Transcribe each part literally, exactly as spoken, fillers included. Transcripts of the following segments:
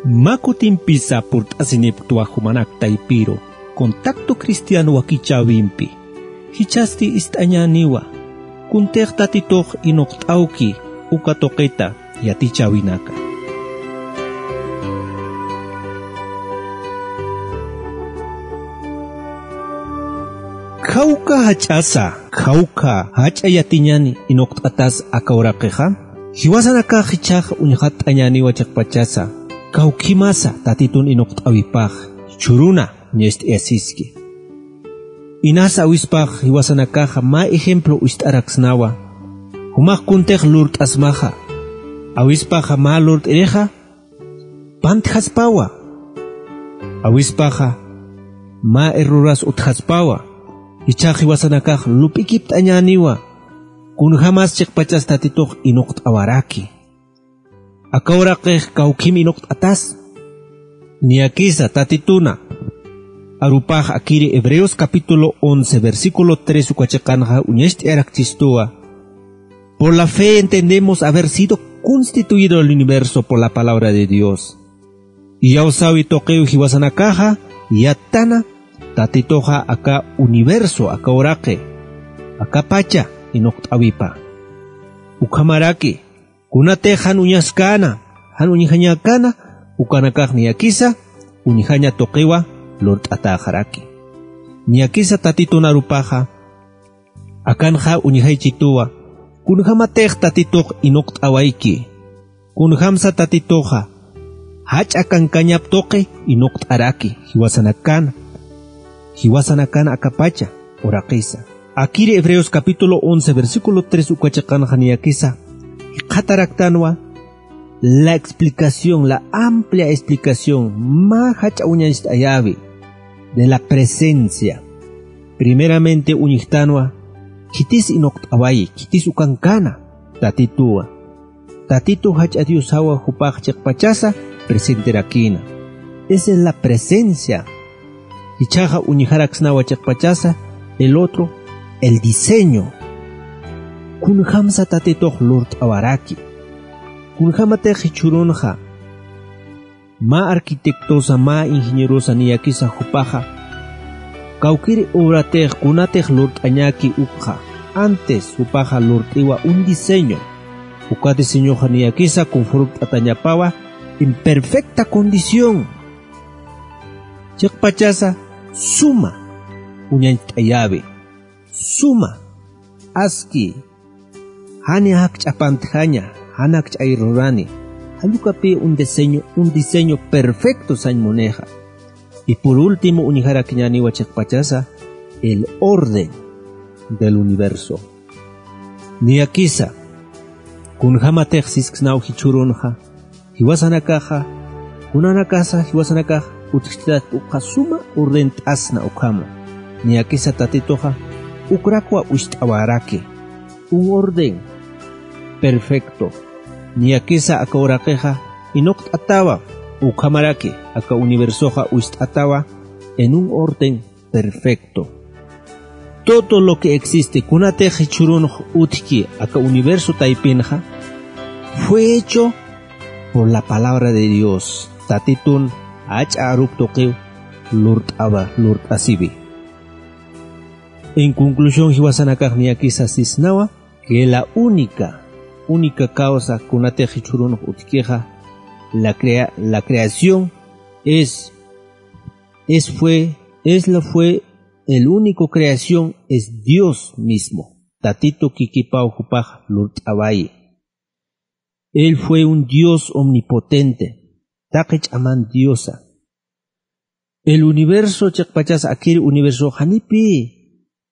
Mä kutimpisa purt'asinipktwa jumanak taypiru Contacto Cristiano wakichäwimpi. Jichhasti ist'añäniwa kuntix Tatitux inuqt'awki uka tuqita yatichäwinaka. Khawkha jach'asa, khawkha jach'a yatiñäni inuqt'atas aka uraqixa. Jiwasanakax jichhax uñxatt'añäniwa chiqpachasa kawkhimasa Tatitun inuqt'äwipax jichhüruna uñacht'ayasiski. Inas awispax jiwasanakaxa mä ejemplo uñacht'araksnawa. Jumax kuntix lurt'asmaxa. Awispaxa mä lurt'irixa pantjaspawa. Awispaxa mä erroras utjaspawa. Jichhax jiwasanakax lup'ikipt'añäniwa kunjämas chiqpachas Tatitux inuqt'awaraki. Aka uraqix kawkhim inuqt'atas. Niyakisa Tatituna arupax akiri Hebreos capítulo once, versículo tres uka chiqanxa uñacht'ayarakchistuwa. Por la fe entendemos haber sido constituido el universo por la palabra de Dios. Iyawsäwi tuqiw jiwasanakaxa yatana Tatituxa aka universo, aka uraqi, aka pacha inuqt'äwipa. Ukhamaraki kunatix jan uñaskäna, jan uñjañäkäna, ukanakax niyakisa uñjaña tuqiwa lurt'atäxaraki. Niyakisa Tatitun arupaxa akanxa uñjaychituwa kunjämatix Tatitux inuqt'awayki. Kunjämsa Tatituxa jach'a kankañap tuqi inuqt'araki jiwasanakan, jiwasanakan aka pacha uraqisa. Akiri Hebreos capítulo once, versículo tres uka chiqanxa niyakisa jikxataraktanwa la explicación, la amplia explicación, mä jach'a uñacht'ayäwi de la presencia. Primeramente uñjtanwa khitis inuqt'awayi, khitis ukankana Tatituwa. Tatitu jach'a Diosawa, jupax chiqpachasa presentirakïna. Esa es la presencia. Jichhaxa uñjaraksnawa chiqpachasa el otro, el diseño. Kunjämsa Tatitux lurt'awaraki. Kunjämatix jichhürunxa mä arquitectosa, mä ingenierosa niyakisa jupaxa kawkïr obratix kunatix lurt'añäki ukxa, antes jupaxa lurt'iwa un diseño. Uka diseñoxa niyakisa conformt'atañapawa en perfecta condición. Chiqpachasa suma uñacht'ayäwi, suma, aski, jani jakch'a pantjaña, jan jakch'ay rurani, jan ukapï un diseño, un diseño perfecto sañ munixa. Y por último uñjarakiñäniwa chiqpachasa el orden del universo. Niyakisa kunjämatix sisksnaw jichhürunxa, jiwasanakaxa, kunanakasa jiwasanakax utjchitatki ukxa suma ordent'asna ukhama. Niyakisa Tatituxa ukrakwa uñacht'awaraki, un orden perfecto. Niyakisa aka uraqixa inuqt'atawa, ukhamaraki aka universoxa uñacht'atawa en un orden perfecto. Todo lo que existe, kunatix jichhürunx utjki aka universo taypinxa, fue hecho por la palabra de Dios. Tatitun jach'a aruk tuqiw lurt'awa, lurt'asiwi. En conclusión, jiwasanakax niyakisa sisnawa que la única, única causa kunatix jichhürunx utjkixa, la crea-, la creación es, es fue, es la fue, el único creación es Dios mismo. Tatitu kikipaw jupax lurt'awayi. Él fue un Dios omnipotente, taqi ch'aman Diosa. El universo chiqpachas akir universo janipi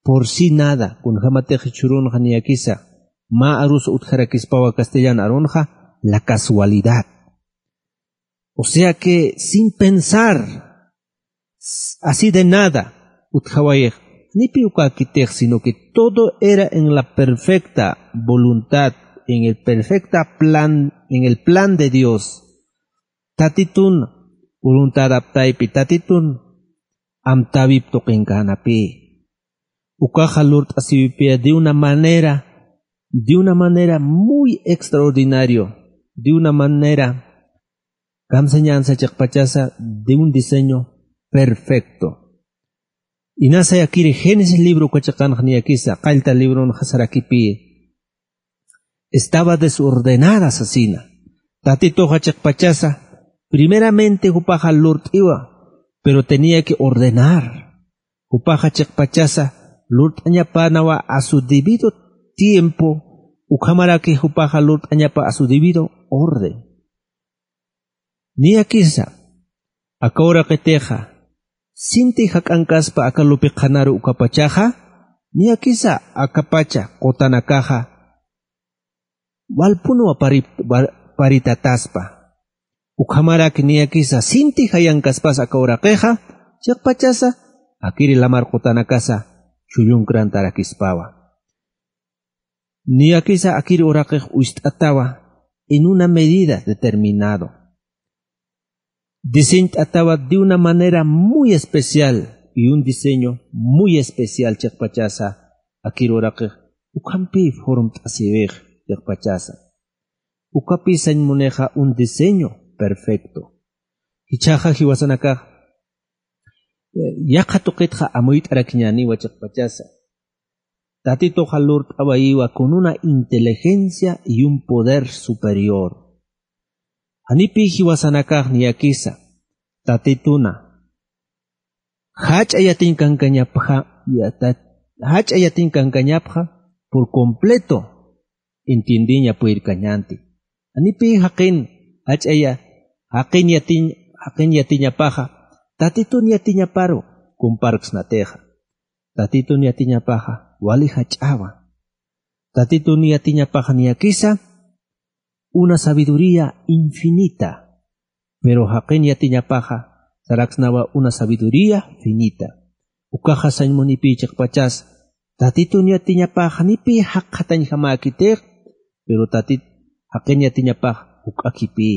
por sí nada, kunjämatix jichhürunxa niyakisa mä arus utjarakispawa castellan arunxa, la casualidad. O sea que sin pensar, s-, así de nada, utjawayix, janipi ukäkitix, sino que todo era en la perfecta voluntad, en el perfecta plan, en el plan de Dios. Tatitun voluntad aptaypi, Tatitun amtäwip tuqinkänapï. Ukaxa lurt'asiwipï de una manera, de una manera muy extraordinario, de una manera Kamsañansa chiqpachasa de un diseño perfecto. Inasa akiri Génesis libro uka chiqanxa niyakisa, qallta libronxa sarakipi. Estaba desordenada sasina. Tatituxa chiqpachasa, primeramente jupaxa lurt'iwa, pero tenía que ordenar. Jupaxa chiqpachasa, lurt'añapanawa a su debido tiempo, ukhamaraki jupaxa lurt'añapa a su debido orden. Niyakisa, aka uraqitixa, sinti jak'ankaspa aka lupi qhanaru ukapachaxa, niyakisa akapacha qutanakaxa, walpunwa pari-, wa-, paritataspa. Ukhamaraki niyakisa, sinti jayankaspas aka uraqixa, chiqpachasa, akiri lamar qutanakasa, chullunkrantarakispwa. Niyakisa akiri uraqix ucht'atawa en una medida determinado. Diseñt'atawa de una manera muy especial y un diseño muy especial chiqpachasa akiri uraqix ukhampi formt'asiwix chiqpachasa. Ukapi sañ munixa un diseño perfecto. Jichhaxa jiwasanakax, eh, yaqha tuqitxa amuyt'arakiñäniwa chiqpachasa. Tatituxa lurt'awayiwa con una inteligencia y un poder superior. Janipi jiwasanakax niyakisa, Tatituna, jach'a yatiñ kankañapxa, yata-, jach'a yatiñ kankañapxa, por completo entiendiña purirkañänti. Janipi jaqin, jach'a ya-, jaqin yatiñ, jaqin yatiñapaxa, Tatitun yatiñaparu comparksnatixa. Tatitun yatiñapaxa, wali jach'awa. Tatitun yatiñapaxa niyakisa, una sabiduría infinita. Pero jaqin yatiñapaxa, saraksnawa una sabiduría finita. Ukaxa sañ munipi chiqpachas, Tatitun yatiñapaxa, janipi jaqatañjamäkitix, pero Tatit, jaqin yatiñapax, juk'akipi.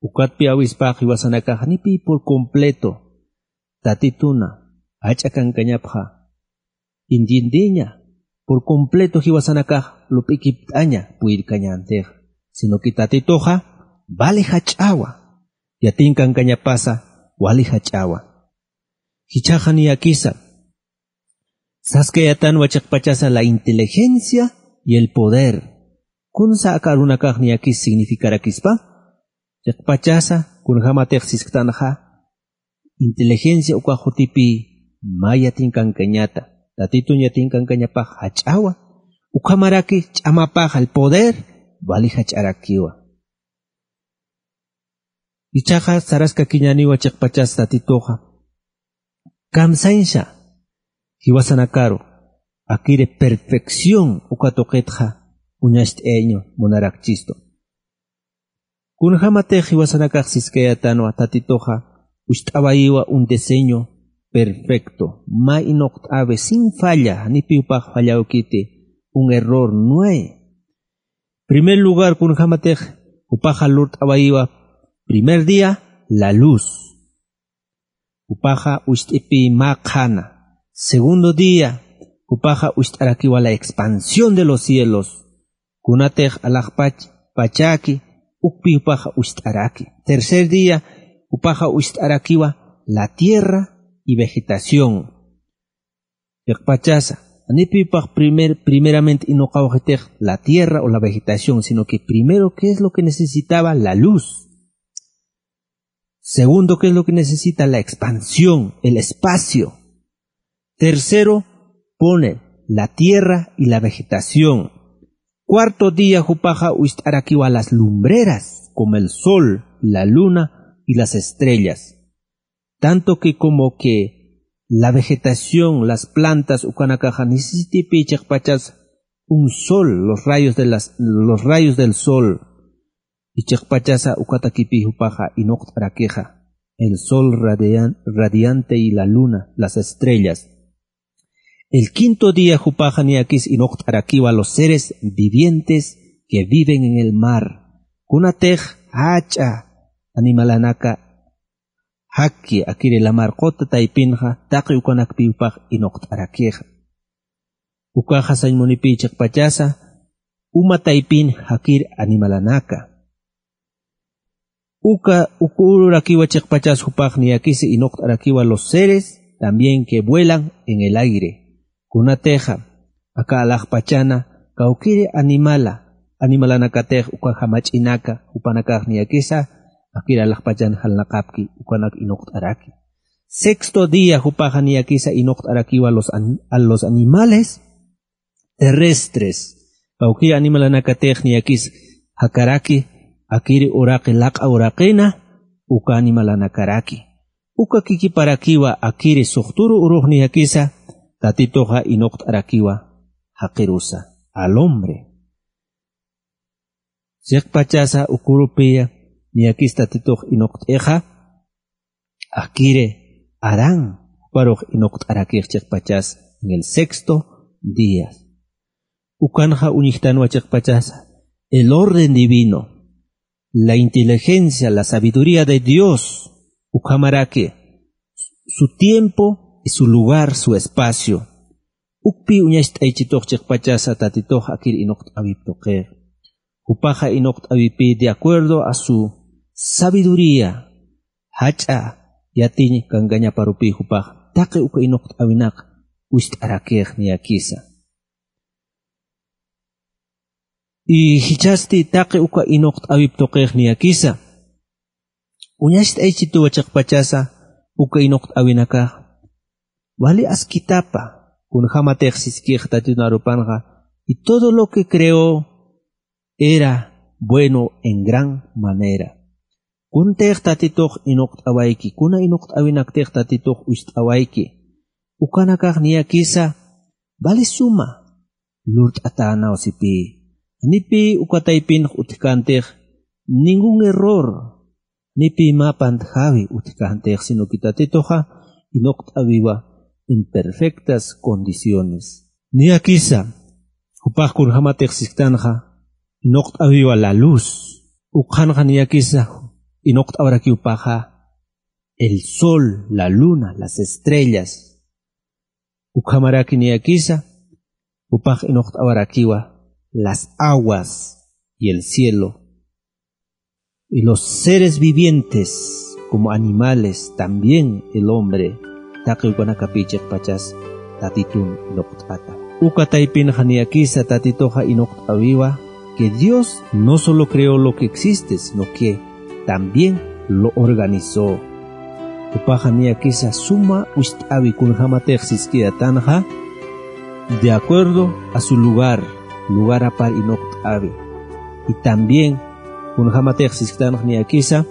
Ukatpi awispax jiwasanakax, janipi por completo Tatituna, jach'a kankañapxa, entiendiña, por completo jiwasanakax lup'ikipt'aña purirkañäntix, sino que Tatituxa, vale jach'awa, yatiñ kankañapasa, vale jach'awa. Jichhaxa niyakisa, saskayätanwa chiqpachasa la inteligencia y el poder. Kunsa aka arunakax niyakis significarakispa, chiqpachasa, kunjamatix sisktanxa, inteligencia uka jutipi mä yatiñ kankañata, Tatitun yatiñ kankañapax jach'awa, ukhamaraki ch'amapax el poder, vali jach'arakiwa. Jichhaxa saraskakiñäniwa chiqpachas Tatituxa. Kamsañsa, jiwasanakaru, akiri perfección uka tuqitxa, uñacht'ayañ munarakchistu. Kunjamatix jiwasanakax siskayätanwa Tatituxa, ucht'awayiwa un diseño perfecto, mä inuqt'awi, sin falla, janipi jupax fallawkiti, un error no hay. Primer lugar, kunjamatix jupaxa lurt'awayiwa, primer día, la luz. Jupaxa ucht'ipi mä qhana. Segundo día, jupaxa ucht'arakiwa la expansión de los cielos. Kunatix alaxpach pachaki, ukpi jupaxa ucht'araki. Tercer día, jupaxa ucht'arakiwa la tierra y vegetación. Chiqpachasa, janipi jupax primer, primeramente inuqawxitix la tierra o la vegetación, sino que primero, ¿qué es lo que necesitaba? La luz. Segundo, ¿qué es lo que necesita? La expansión, el espacio. Tercero, pone la tierra y la vegetación. Cuarto día, jupaxa ucht'arakiwa las lumbreras, como el sol, la luna y las estrellas. Tanto que como que la vegetación, las plantas, ukanakaxa necesitipi chiqpachas un sol, los rayos de las, los rayos del sol. Y chiqpachasa ukatakipi jupaxa inuqt'arakixa, el sol radian-, radiante y la luna, las estrellas. El quinto día jupaxa niyakis inuqt'arakiwa los seres vivientes que viven en el mar. Kunatix jach'a animalanaka jaki akiri lamar quta taypinxa, taqi ukanakpi jupax inuqt'arakixa. Ukaxa sañ munipi chiqpachasa, uma taypin jakir animalanaka. Uka, uka ururakiwa chiqpachas jupax niyakisa inuqt'arakiwa los seres también que vuelan en el aire. Kunatixa, aka alaxpachana, kawkiri animala, animalanakatix uka jamach'inaka, jupanakax niyakisa, akiri alaxpachan jalnaqapki, ukanak inuqt'araki. Sexto día jupaxa niyakisa inuqt'arakiwa los an-, a los animales terrestres. Kawkiri animalanakatix niyakis jakaraki, akiri uraqi laq'a uraqina, uka animalanakaraki. Uka kikiparakiwa akiri suxturu urux niyakisa, Tatituxa inuqt'arakiwa jaqirusa, al hombre. Chiqpachasa uka urupiya niyakis Tatitux inuqt'ixa, akiri Adán juparux inuqt'arakix chiqpachas en el sexto día. Ukanxa uñjtanwa chiqpachasa, el orden divino, la inteligencia, la sabiduría de Dios, ukhamaraki, su tiempo y su lugar, su espacio. Ukpi uñacht'aychitux chiqpachasa Tatitux akir inuqt'awip tuqix. Jupaxa inuqt'awipï de acuerdo a su sabiduría, jach'a yatiñ kankañaparupï jupax taqi uka inuqt'awinaq wist'arakix niyakisa. Y jichhasti taqi uka inuqt'awip tuqix niyakisa, uñacht'aychituwa chiqpachasa uka inuqt'awinakax wali askitapa, kunjamatix siskix Tatitun arupanxa, y todo lo que creó era bueno en gran manera. Kuntix Tatitux inuqt'awayki, kuna inuqt'awinaktix Tatitux wist'awayki, ukanakax niyakisa vali suma lurt'atänaw sipï. Janipï uka taypinx utjkäntix ningún error, janipï mä pantjawi utjkäntix, sino que Tatituxa inuqt'awiwa en perfectas condiciones. Niyakisa, jupax kunjamatix sisktanxa, inuqt'awiwa la luz. Ukxanxa niyakisa inuqt'awarakiw jupaxa el sol, la luna, las estrellas. Ukhamaraki niyakisa, jupax inuqt'awarakiwa las aguas y el cielo. Y los seres vivientes, como animales, también el hombre, taqi ukanakapï chiqpachas Tatitun inuqt'ata. Uka taypinxa niyakisa Tatituxa inuqt'awiwa, que Dios no solo creó lo que existe, sino que también lo organizó. Jupaxa niyakisa suma wist'awi kunjamatix siskitanxa, de acuerdo a su lugar, lugarapar inuqt'awi. Y también kunjamatix siskitanxa niyakisa,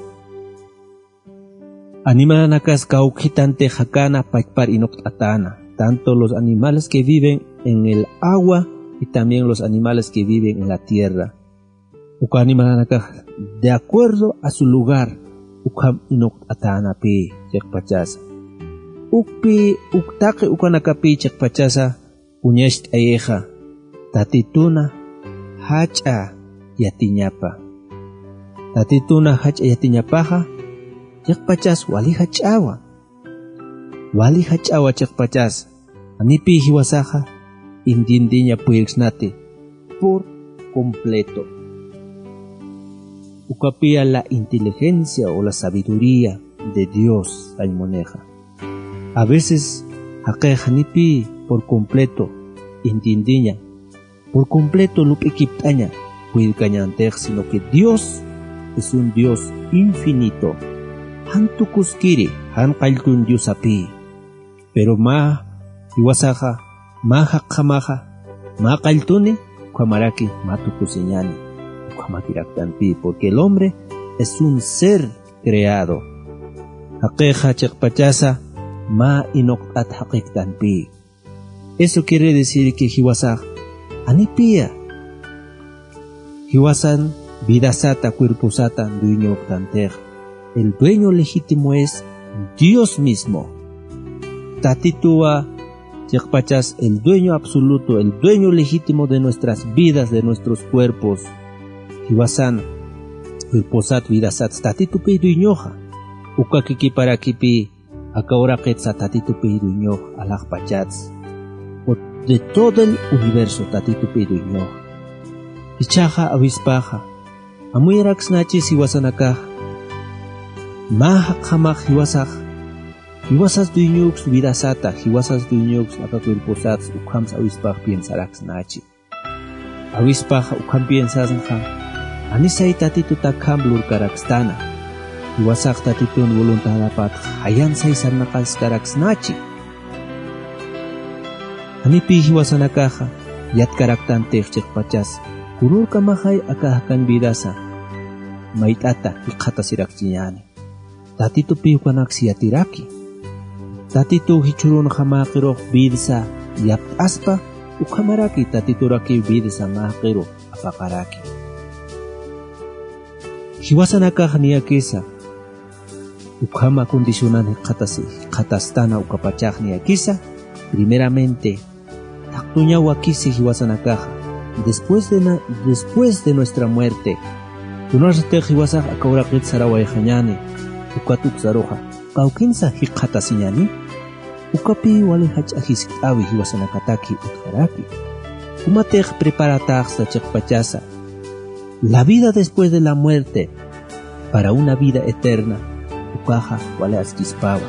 animalanakas kawkhitantix jakäna pachpar inuqt'atäna, tanto los animales que viven en el agua y también los animales que viven en la tierra. Uka animalanakax de acuerdo a su lugar ukham inuqt'atänapï chiqpachasa. Ukpï, uk taqi ukanakapï chiqpachasa uñacht'ayixa, Tatituna jach'a yatiñapa. Tatituna jach'a yatiñapaxa, chiqpachas wali jach'awa. Wali jach'awa chiqpachas, janipï jiwasaxa entiendeña puyirksnati por completo. Ukapïya la inteligencia o la sabiduría de Dios, sañ munixa. A veces, jaqix janipï por completo entiendeña, por completo lup'ikipt'aña puyirkañäntix, sino que Dios es un Dios infinito. Jan tukuskiri, jan qalltun Diosapï. Pero mä jiwasaxa, mä jaqjamaxa, mä qalltuni, ukhamaraki mä tukusiñäni, ukhamakiraktanpï, porque el hombre es un ser creado. Jaqixa chiqpachasa mä inuqt'at jaqiktanpï. Eso quiere decir que jiwasax janipïya jiwasan vidasata, cuerposata dueñoktantix. El dueño legítimo es Dios mismo. Tatituwa chiqpachas el dueño absoluto, el dueño legítimo de nuestras vidas, de nuestros cuerpos. Jiwasan cuerposat, vidasat Tatitupï dueñoxa. Uka kikiparakipï aka uraqitsa Tatitupï dueñox, alaxpachats. O de todo el universo Tatitupï dueñox. Jichhaxa awispaxa, amuyaraksnachis jiwasanakax Mä jaqjamax jiwasax, jiwasas dueñoks vidasata, jiwasas dueñoks aka cuerposats, ukhamsa awispax piensaraksnachi. Awispax ukham piensasnxa, janisay Tatitut akham lurkarakstana. Jiwasax Tatitun voluntadapatx jayansay sarnaqaskaraksnachi. Janipï jiwasanakaxa, yatkaraktanti chiqpachas, kunürkamaxay aka jakañ vidasa, mayt'ata jikxatasirakchiñäni. Tatitupï ukanaks yatiraki. Tatituw jichhürunxa mäqirux vidsa yapt'aspa, ukhamaraki Tatiturakiw vidsa mäqiru apaqaraki. Jiwasanakax niyakisa, ukhama condicionan jikxatasi, jikxatastana ukapachax niyakisa, primeramente, thaqtuñaw wakisi jiwasanakaxa, después de na-, después de nuestra muerte. Kunasatix jiwasax aka uraqit sarawayxañäni, ukat uksaruxa, kawkinsa jikxatasiñäni, ukapï wali jach'a jiskt'äwi jiwasanakataki utjaraki. Jumatix preparatäxsa chiqpachasa, la vida después de la muerte para una vida eterna, ukaxa wali askispawa.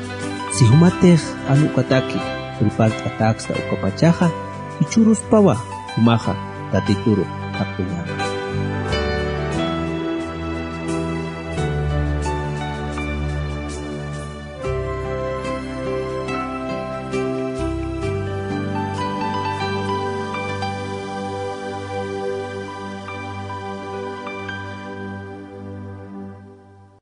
Si jumatix jan ukataki prepart'atäksta ukapachaxa, jichhüruspawa jumaxa Tatituru thaqtuñäni.